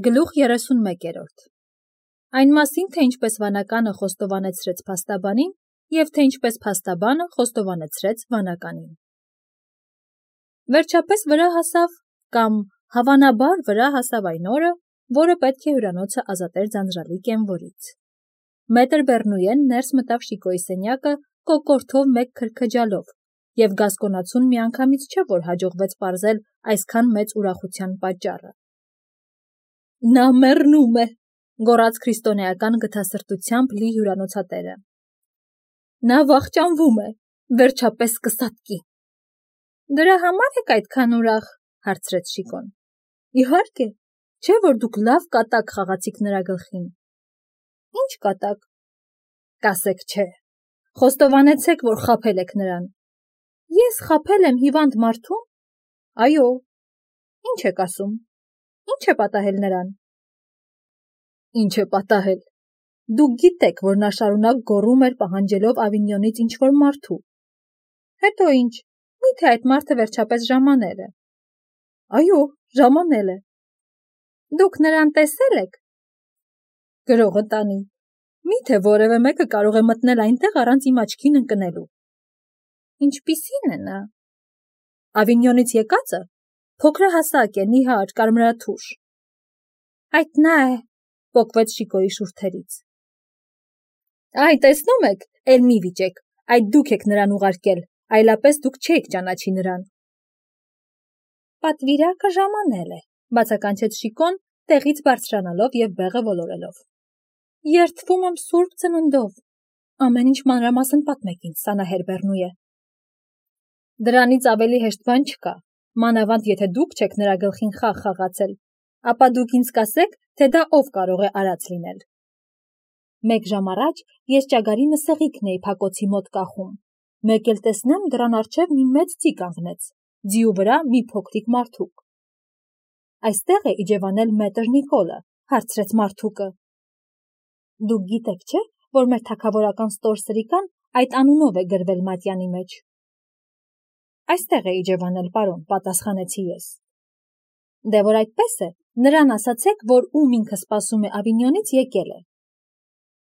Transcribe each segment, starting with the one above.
Գլուխ 31-րդ Այն մասին, թե ինչպես վանականը խոստովանեցրեց փաստաբանին և թե ինչպես փաստաբանը խոստովանեցրեց վանականին։ Վերջապես վրա հասավ կամ հավանաբար վրա հասավ այն օրը, որը պետք է հյուրանոցը ազատեր ձանձրալի կենվորից։ Մետր Բեռնուեն ներս մտավ Շիկոյի սենյակը կոկորդով մեկ քրքջալով, և գասկոնացուն միանգամից չէ, որ հաջողվեց պարզել այսքան մեծ ուրախության պատճառը։ Նա մեռնում է, գոռաց քրիստոնեական գթասրտությամբ լի հյուրանոցատերը։ Նա վախճանվում է, վերջապես կսատկի։ Դրա համար եք այդքան ուրախ, հարցրեց Շիկոն։ Իհարկե, չէ՞ որ դուք լավ կատակ խաղացիք նրա գլխին։ Ինչ կատակ։ Կասեք չէ։ Խոստովանեցեք, որ խաբել եք նրան։ Ես խաբել եմ հիվանդ մարդուն։ Այո։ Ինչ եք ասում։ Ինչ է պատահել նրան։ Ինչ է պատահել։ Դուք գիտեք, որ նա շարունակ գոռում էր պահանջելով Ավինյոնից ինչ-որ մարդու։ Հետո ինչ, միթե այդ մարդը վերջապես ժամանել է։ Այո, ժամանել է։ Դուք նրան տեսել եք։ Գրողը տանի։ Միթե որևէ մեկը կարող է մտնել այնտեղ առանց իմ աչքին ընկնելու։ Ինչպիսին է նա։ Ավինյոնից եկածը փոքրահասակ է, նիհար, կարմրաթուշ։ Այդ նա է, պոկվեց Շիկոյի շուրթերից։ Այ, տեսնում եք, էլ մի վիճեք, այդ դուք եք նրան ուղարկել, այլապես դուք չէիք ճանաչի նրան։ Պատվիրակը ժամանել է, բացականչեց Շիկոն, տեղից բարձրանալով և բեղը ոլորելով։ Երդվում եմ սուրբ ծննդով։ Ամեն ինչ մանրամասն պատմեք ինձ, Սանահեր Բեռնուե։ Դրանից ավելի հեշտ բան չկա, մանավանդ եթե դուք չեք նրա գլխին խաղ խաղացել, ապա դուք ինձ կասեք, թե դա ով կարող է արած լինել։ Մեկ ժամ առաջ ես ճագարի մսեղիկն էի փակոցի մոտ կախում։ Մեկ էլ տեսնեմ դռան առջև մի մեծ ձի կանգնեց, ձիու վրա մի փոքրիկ մարդուկ։ Այստեղ է իջևանել մետր Նիկոլը, հարցրեց մարդուկը։ Դուք գիտեք, չէ, որ մեր թագավորական ստորսրիկան այդ անունով է գրվել մատյանի մեջ։ Այստեղ է իջևանել, պարոն, պատասխանեցի ես։ Դե որ այդպես է, նրան ասացեք, որ ում ինքը սպասում է Ավինյոնից եկել է։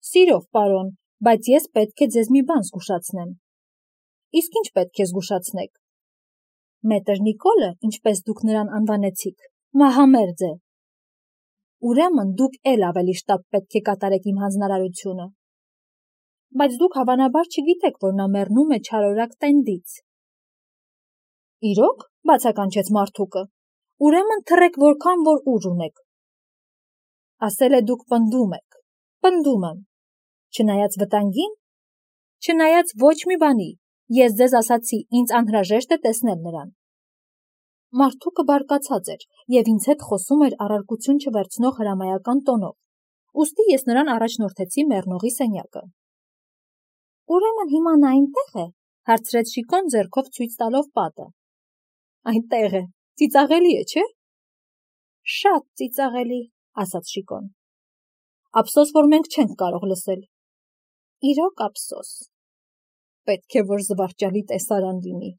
Սիրով, պարոն, բայց ես պետք է ձեզ մի բան զգուշացնեմ։ Իսկ ինչ պետք է զգուշացնեք։ Մետր Նիկոլը, ինչպես դուք նրան անվանեցիք, մահամերձ է։ Ուրեմն դուք էլ ավելի շտապ պետք է կատարեք իմ հանձնարարությունը։ Բայց դուք հավանաբար չգիտեք, որ նա մեռնում է չարորակ տենդից։ Իրոք, բացականչեց մարդուկը, ուրեմն թռեք որքան որ ուժ ունեք։ Ասել է դուք պնդում եք, պնդում եմ, չնայած վտանգին, չնայած ոչ մի բանի, ես ձեզ ասացի, ինձ անհրաժեշտ է տեսնել նրան։ Մարդուկը բարկացած էր և ինձ հետ խոսում էր առարկություն չվերցնող հրամայական տոնով, ուստի ես նրան առաջնորդեցի մեռնողի սենյակը։ Ուրեմն հիմա նա այնտեղ է, հարցրեց Շիկոն ձեռքով ցույց տալով պատը։ Այնտեղ է, ծիծաղելի է, չէ։ Շատ ծիծաղելի, ասաց Շիկոն։ Ափսոս, որ մենք չենք կարող լսել։ Իրոք ափսոս։ Պետք է որ զվարճալի տեսարան լինի։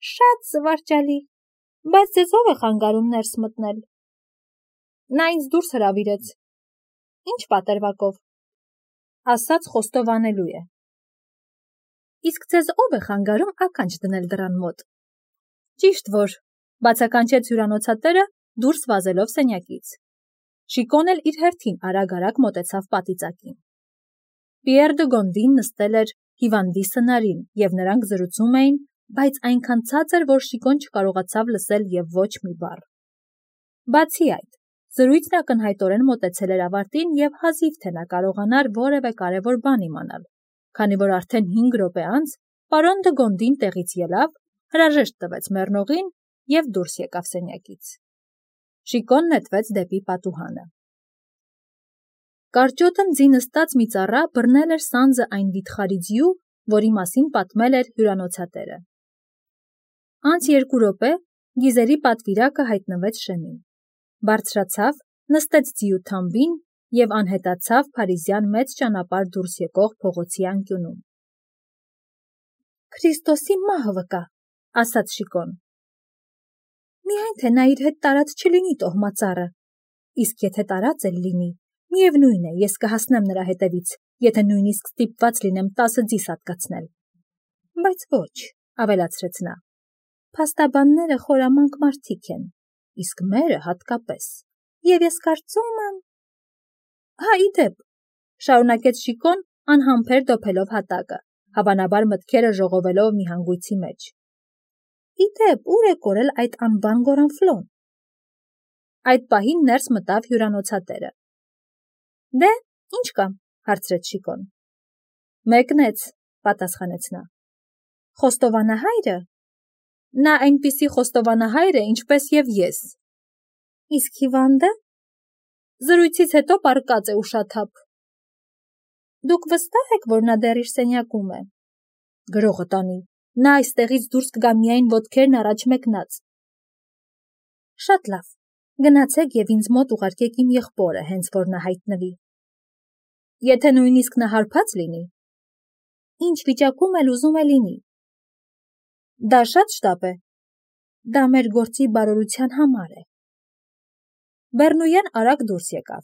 Շատ զվարճալի, բայց ձեզ ով է խանգարում ներս մտնել։ Նա ինձ դուրս հրավիրեց։ Ինչ պատրվակով։ Ասաց խոստովանելու է։ Իսկ ձեզ ով է խանգարում ականջ դնել դռան մոտ։ Ճիշտ որ, բացականչեց հյուրանոցատերը դուրս վազելով սենյակից։ Շիկոն էլ իր հերթին արագ-արագ մոտեցավ պատիծակին։ Պիեր դը Գոնդին նստել էր հիվանդի սնարին և նրանք զրուցում էին, բայց այնքան ցածր, որ Շիկոն չկարողացավ լսել և ոչ մի բառ։ Բացի այդ, զրույցն ակնհայտորեն մոտեցել էր ավարտին և հազիվ թե նա կարողանար որևէ կարևոր բան իմանալ, քանի որ արդեն 5 րոպե անց պարոն դը Գոնդին տեղից ելավ, հրաժեշտ տվեց մեռնողին և դուրս եկավ սենյակից։ Շիկոն նետվեց դեպի պատուհանը։ Կարճոտն ձի նստած մի ծառա բռնել էր սանձը այն վիթխարի ձիու, որի մասին պատմել էր հյուրանոցատերը։ Անց 2 րոպե գիզերի պատվիրակը հայտնվեց շեմին։ Բարձրացավ, նստեց ձիու թամբին և անհետացավ փարիզյան մեծ ճանապարհ դուրս եկող փողոցի անկյունում։ Քրիստոսի մահը վկա, ասաց Շիկոն։ Միայն թե նա իր հետ տարած չլինի տոհմածառը, իսկ եթե տարած էլ լինի, միևնույն է, ես կհասնեմ նրա հետևից, եթե նույնիսկ ստիպված լինեմ 10 ձի հատկացնել։ Բայց ոչ, ավելացրեց նա, փաստաբանները խորամանկ մարդիկ են, իսկ մերը հատկապես, և ես կարծում եմ… Հա, ի դեպ, շարունակեց Շիկոն, անհամբեր դոփելով հատակը, հավանաբար մտքերը ժողովելով մի հանգույցի մեջ։ Ի դեպ, ուր է կորել այդ անբան Գորանֆլոն։ Այդ պահին ներս մտավ հյուրանոցատերը։ Դե, ինչ կա, հարցրեց Շիկոն։ Մեկնեց, պատասխանեց նա։ Խոստովանահայրը։ Նա այնպիսի խոստովանահայր է, ինչպես և ես։ Իսկ հիվանդը։ Զրույցից հետո պառկած է ուշաթափ։ Դուք վստահ եք, որ նա դեռ իր սենյակում է։ Գրողը տանի, նա այստեղից դուրս կգա միայն ոտքերն առաջ մեկնած։ Շատ լավ, գնացեք և ինձ մոտ ուղարկեք իմ եղբորը, հենց որ նա հայտնվի։ Եթե նույնիսկ նա հարբած լինի։ Ինչ վիճակում էլ ուզում է լինի։ Դա շատ շտապ է։ Դա մեր գործի բարօրության համար է։ Բեռնույեն արագ դուրս եկավ։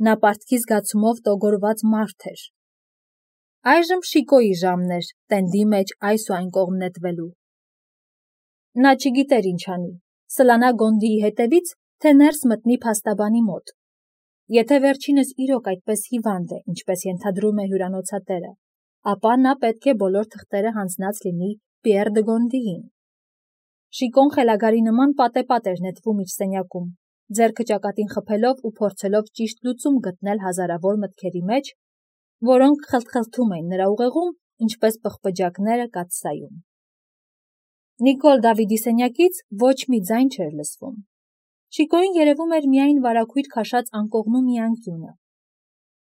Նա պարտքի զգացումով տոգորված մարդ էր։ Այժմ Շիկոյի ժամն էր տենդի մեջ այս ու այն կողմ նետվելու։ Նա չգիտեր ինչ անի, սլանա Գոնդիի հետևից, թե ներս մտնի փաստաբանի մոտ։ Եթե վերջինս իրոք այդպես հիվանդ է, ինչպես ենթադրում է հյուրանոցատերը, ապա նա պետք է բոլոր թղթերը հանձնած լինի Պիեռ դը Գոնդիին։ Շիկոն խելագարի նման պատեպատ էր նետվում իր սենյակում, ձեռքը ճակատին խփելով ու փորձելով ճիշտ լուծում գտնել հազարավոր մտքերի մեջ, որոնք խլթխլթում էին նրա ուղեղում, ինչպես պղպջակները կաթսայում։ Նիկոլ Դավիդի սենյակից ոչ մի ձայն չէր լսվում։ Շիկոյին երևում էր միայն վարագույր քաշած անկողնու մի անկյունը։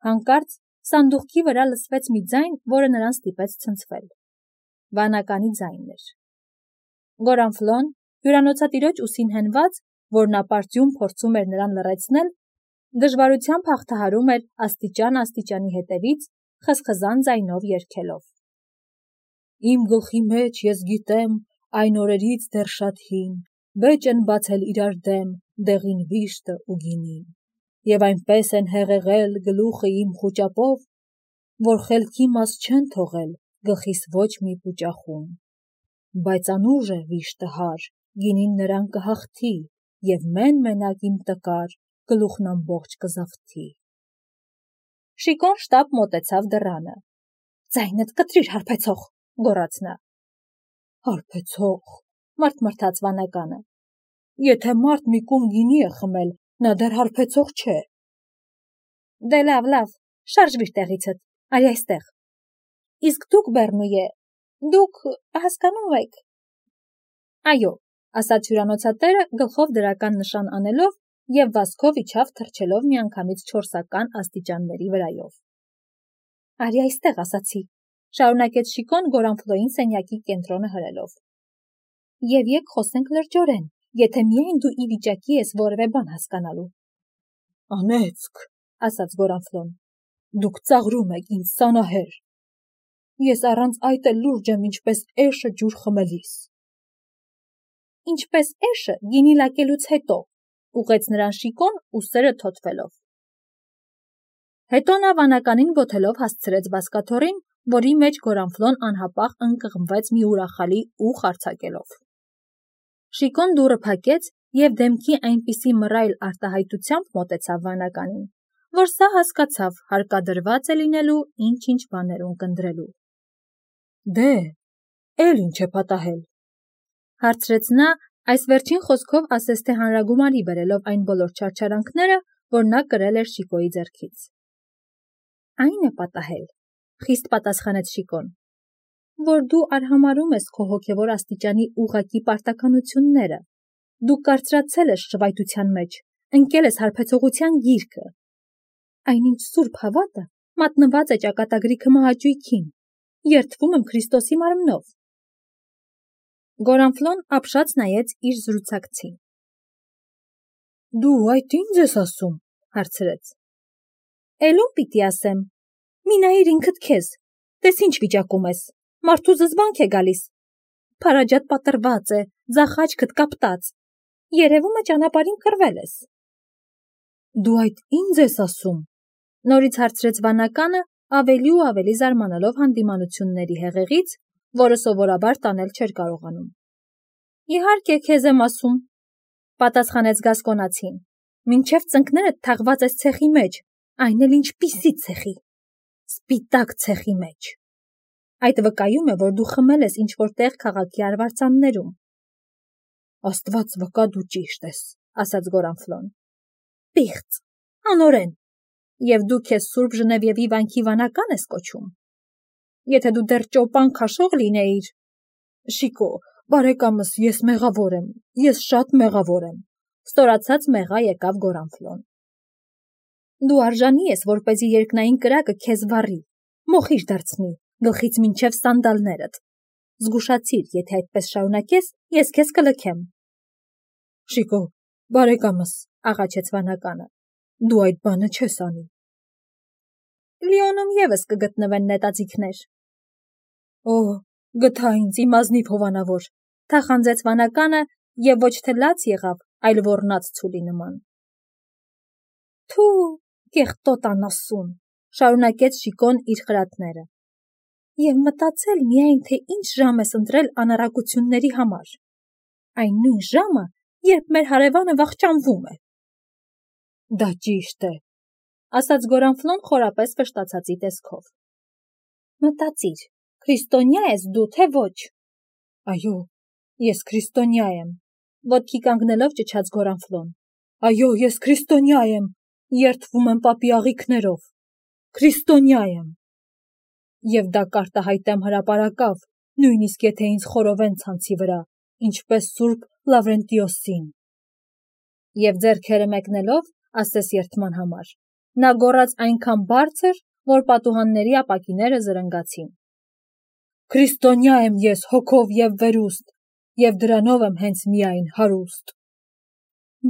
Հանկարծ սանդուղքի վրա լսվեց մի ձայն, որը նրան ստիպեց ցնցվել։ Վանականի ձայնն էր։ Գորանֆլոն, հյուրանոցատիրոջ ուսին հենված, որ նա պարծյուն փորձում էր նրան լռեցնել, դժվարությամբ հաղթահարում էր աստիճան-աստիճանի հետևից, խզխզան ձայնով երգելով. Իմ գլխի մեջ ես գիտեմ, այն օրերից դեռ շատ հին, բեճ են բացել իրար դեմ, դեղին վիշտը ու գինին, և այնպես են հեղեղել գլուխը իմ խուճապով, որ խելքի մաս չեն թողել գլխիս ոչ մի պուճախում, բայց անուժ է վիշտը հար, գինին նրան կհաղթի, և մեն-մենակ իմ տկար, գլուխն ամբողջ կզավթի։ Շիկոն շտապ մոտեցավ դռանը։ Ձայնդ կտրիր, հարբեցող, գոռաց նա։ Հարբեցող, մրթմրթաց վանականը։ Եթե մարդ մի կում գինի է խմել, նա դեռ հարբեցող չէ։ Դե լավ, շարժվիր տեղիցդ, արի այստեղ։ Իսկ դուք, Բեռնույե, դուք հասկանում եք։ Այո, ասաց հյուրանոցատերը գլխով դրական նշան անելով և վազքով իջավ թռչելով միանգամից 4-ական աստիճանների վրայով։ Արի այստեղ, ասացի, շարունակեց Շիկոն Գորանֆլոյին սենյակի կենտրոնը հրելով։ Եվ եկ խոսենք լրջորեն, եթե միայն դու ի վիճակի ես որևէ բան հասկանալու։ Անեծք, ասաց Գորանֆլոն, դուք ծաղրում եք ինձ սանահեր։ Ես առանց այդ էլ լուրջ եմ ինչպես էշը ջուր խմելիս։ Ինչպես էշը գինի լակելուց հետո, ուղեց նրան Շիկոն ուսերը թոթվելով։ Հետո նա վանականին ոտելով հասցրեց բազկաթոռին, որի մեջ Գորանֆլոն անհապաղ ընկղմվեց մի ուրախալի ուղ արձակելով։ Շիկոն դուռը փակեց և դեմքի այնպիսի մռայլ արտահայտությամբ մոտեցավ վանականին, որ սա հասկացավ հարկադրված է լինելու ինչ-ինչ բաներ ունկնդրելու։ Դե, էլ ինչ է պատահել, հարցրեց նա, այս վերջին խոսքով ասես թե հանրագումարի բերելով այն բոլոր չարչարանքները, որ նա կրել էր Շիկոյի ձեռքից։ Այն է պատահել, խիստ պատասխանեց Շիկոն, որ դու արհամարհում ես քո հոգևոր աստիճանի ուղղակի պարտականությունները, դու կարծրացել ես շվայտության մեջ, ընկել ես հարբեցողության գիրկը։ Այնինչ սուրբ հավատը մատնված է ճակատագրի քմահաճույքին, երդվում եմ Քրիստոսի մարմնով։ Գորանֆլոն ապշած նայեց իր զրուցակցին։ Դու այդ ի՞նձ ես ասում, հարցրեց։ Էլ ում պիտի ասեմ, մի նայիր ինքդ քեզ, տես ինչ վիճակում ես, մարդու զզվանք է գալիս, փարաջատ պատրված է, ձախ աչքդ կապտած, երևում է ճանապարհին կռվել ես։ Դու այդ ինձ ես ասում, նորից հարցրեց վանականը, ավելի ու ավելի զարմանալով հանդիմանությունների հեղեղից, որը սովորաբար տանել չէր կարողանում։ Իհարկե քեզ եմ ասում, պատասխանեց Գասկոնացին, մինչև ծնկներդ թաղված ես ցեխի մեջ, այն էլ ինչպիսի ցեխի, սպիտակ ցեխի մեջ։ Այդ վկայում է, որ դու խմել ես ինչ-որ տեղ քաղաքի արվարձաններում։ Աստված վկա, դու ճիշտ ես, ասաց Գորանֆլոն։ Պիղծ, անօրեն, և դու քեզ Սուրբ Ժնևիևի վանքի վանական ես կոչում։ Եթե դու դեռ ճոպան քաշող լինեիր… Շիկո, բարեկամս, ես մեղավոր եմ, ես շատ մեղավոր եմ, ստորացած մեղա եկավ Գորանֆլոն։ Դու արժանի ես, որպեսզի երկնային կրակը քեզ վառի, մոխիր դարձնի, գլխից մինչև սանդալներդ։ Զգուշացիր, եթե այդպես շարունակես, ես քեզ կլքեմ։ Շիկո, բարեկամս, աղաչեց վանականը, դու այդ բանը չես անի։ Լիոնում ևս կգտնվեն նետաձիգներ։ Օ, գթա ինձ, իմ ազնիվ հովանավոր, թախանձեց վանականը և ոչ թե լաց եղավ, այլ ոռնաց ցուլի նման։ Թու, կեղտոտ անասուն, շարունակեց Շիկոն իր խրատները։ Եվ մտածել միայն, թե ինչ ժամ ես ընտրել անառակությունների համար։ Այն նույն ժամը, երբ մեր հարևանը վախճանվում է։ Դա ճիշտ է, ասաց Գորանֆլոն խորապես վշտացածի տեսքով։ Մտածիր, քրիստոնյա ես դու, թե ոչ։ Այո, ես քրիստոնյա եմ, ոտքի կանգնելով ճչաց Գորանֆլոն։ Այո, ես քրիստոնյա եմ, երդվում եմ պապի աղիքներով։ Քրիստոնյա եմ։ Եվ դա կարտահայտեմ հրապարակավ, նույնիսկ եթե ինձ խորովեն ցանցի վրա, ինչպես Սուրբ Լավրենտիոսին։ Եվ ձեռքերը մեկնելով, ասես երդման համար, նա գոռաց այնքան բարձր, որ պատուհանների ապակիները զրնգացին։ Քրիստոնյա եմ ես հոգով և վերուստ, և դրանով եմ հենց միայն հարուստ։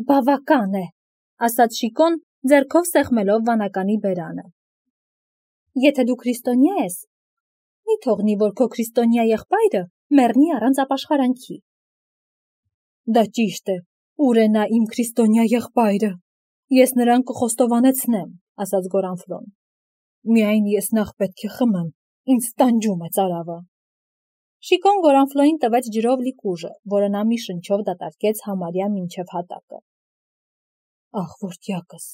Բավական է, ասաց Շիկոն, ձեռքով սեղմելով վանականի բերանը։ Եթե դու քրիստոնյա ես, մի թողնի, որ քո քրիստոնյա եղբայրը մեռնի առանց ապաշխարանքի։ Դա ճիշտ է, ուր է նա իմ քրիստոնյա եղբայրը։ Ես նրան կխոստովանեցնեմ, ասաց Գորանֆլոն։ Միայն ես նախ պետք է խմեմ, ինձ տանջում է ծարավը։ Շիկոն Գորանֆլոին տվեց ջրով լի կուժը, որը նա մի շնչով դատարկեց համարյա մինչև հատակը։ Ախ, որդյակս,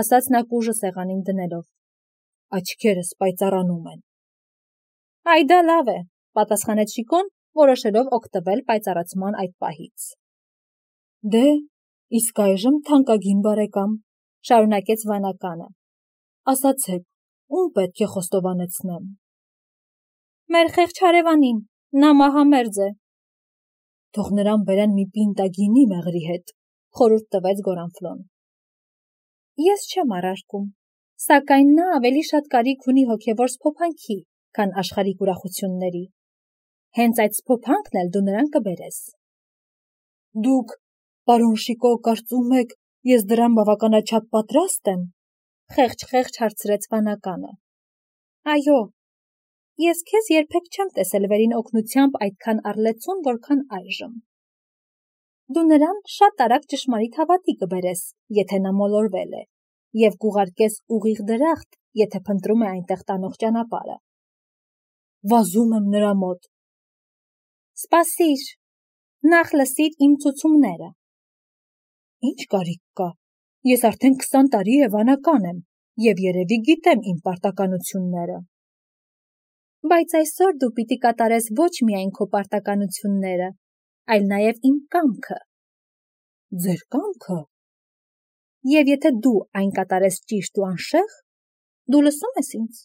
ասաց նա կուժը սեղանին դնելով, աչքերս պայծառանում են։ Այ դա լավ է, պատասխանեց Շիկոն, որոշելով օգտվել պայծառացման այդ պահից։ Դե, իսկ այժմ թանկագին բարեկամ, շարունակեց վանականը, ասացեք, ում պետք է խոստովանեցնեմ։ Մեր խեղճ հարևանին, նա մահամերձ է։ Թող նրան բերեն մի պինտա գինի մեղրի հետ, խորհուրդ տվեց Գորանֆլոն։ Ես չեմ առարկում, սակայն նա ավելի շատ կարիք ունի հոգևոր սփոփանքի, քան աշխարհիկ ուրախությունների։ Հենց այդ սփոփանքն էլ դու նրան կբերես։ Դուք, պարոն Շիկո, կարծում եք, ես դրան բավականաչափ պատրաստ եմ, խեղճ հարցրեց վանականը։ Այո, ես քեզ երբեք չեմ տեսել վերին օգնությամբ այդքան առլեցուն, որքան այժմ։ Դու նրան շատ արագ ճշմարիտ հավատի կբերես, եթե նա մոլորվել է, և կուղարկես ուղիղ դրախտ, եթե փնտրում է այնտեղ տանող ճանապարհը։ Վազում եմ նրա մոտ։ Սպասիր, նախ լսիր իմ ցուցումները։ Ինչ կարիք կա, ես արդեն 20 տարի է վանական եմ, և երևի գիտեմ իմ պարտականությունները։ Բայց այսօր դու պիտի կատարես ոչ միայն քո պարտականությունները, այլ նաև իմ կամքը։ Ձեր կամքը։ Եվ եթե դու այն կատարես ճիշտ ու անշեղ, դու լսում ես ինձ։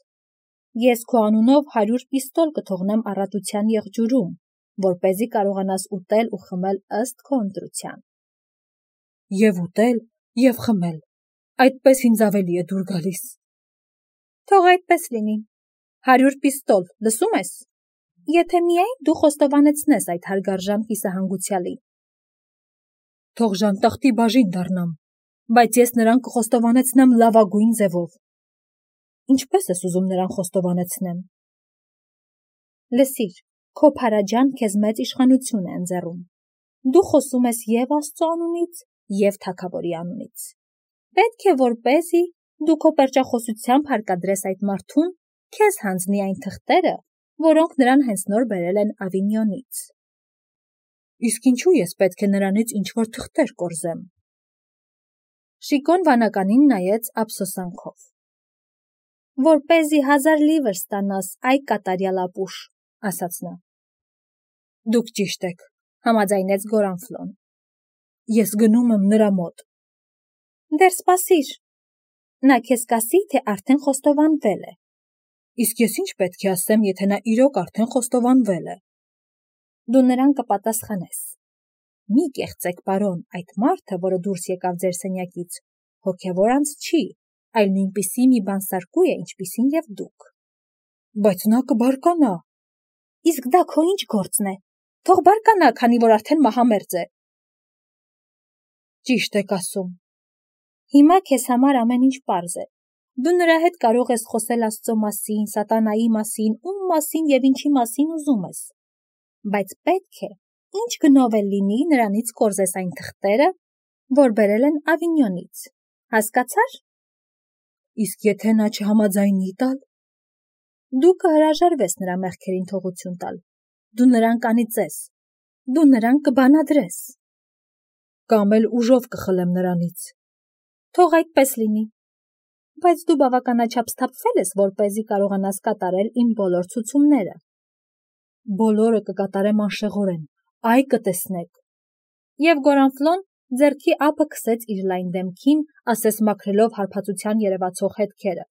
Ես քո անունով 100 պիստոլ կթողնեմ առատության եղջյուրում, որպեսզի կարողանաս ուտել ու խմել ըստ քո ընտրության։ Եվ ուտել, և խմել, այդպես ինձ ավելի է դուր գալիս։ Թող այդպես լինի, 100 պիստոլ, լսում ես։ Եթե միայն դու խոստովանեցնես այդ հարգարժան կիսահանգուցյալի։ Թող ժանտախտի բաժին դառնամ, բայց ես նրան կխոստովանեցնեմ լավագույն ձևով։ Ինչպես ես ուզում նրան խոստովանեցնեմ։ Լսիր, քո փարաջան քեզ մեծ իշխանություն է ընձեռում։ Դու խոսում ես և Աստծո անունից, և թագավորի անունից։ Պետք է որպեսզի դու քո պերճախոսությամբ հարկադրես այդ մարդուն քեզ հանձնի այն թղթերը, որոնք նրան հենց նոր բերել են Ավինյոնից։ Իսկ ինչու ես պետք է նրանից ինչ-որ թղթեր կորզեմ։ Շիկոն վանականին նայեց ափսոսանքով։ Որպեսզի 1000 լիվր ստանաս, այ կատարյալ ապուշ, ասաց նա։ Դուք ճիշտ եք, համաձայնեց Գորանֆլոն։ Ես գնում եմ նրա մոտ։ Դեռ սպասիր։ Նա քեզ կասի, թե արդեն խոստովանվել է։ Իսկ ես ինչ պետք է ասեմ, եթե նա իրոք արդեն խոստովանվել է։ Դու նրան կպատասխանես։ Մի կեղծեք, պարոն, այդ մարդը, որը դուրս եկավ ձեր սենյակից, հոգևոր անձ չի, այլ նույնպիսի մի բանսարկու է, ինչպիսին եւ դուք։ Բայց նա կբարկանա։ Իսկ դա քո ինչ գործն է։ Թող բարկանա, քանի որ արդեն մահամերձ է։ Ճիշտ եք ասում։ Հիմա քեզ համար ամեն ինչ պարզ է։ Դու նրա հետ կարող ես խոսել Աստծո մասին, սատանայի մասին, ում մասին եւ ինչի մասին ուզում ես։ Բայց պետք է, ինչ գնով էլ լինի, նրանից կորզես այն թղթերը, որ բերել են Ավինյոնից։ Հասկացա՞ր։ Իսկ եթե նա չհամաձայնի տալ։ Դու կհրաժարվես նրա մեղքերին թողություն տալ։ Դու նրան կանիծես։ Դու նրան կբանադրես։ Կամ էլ ուժով կխլեմ նրանից։ Թող այդպես լինի։ Բայց դու բավականաչափ սթափվել ես, որպեսզի կարողանաս կատարել իմ բոլոր ցուցումները։ Բոլորը կկատարեմ անշեղորեն, այ կտեսնեք։ Եվ Գորանֆլոն ձեռքի ափը քսեց իր լայն դեմքին, ասես մաքրելով հարբածության երևացող հետքերը։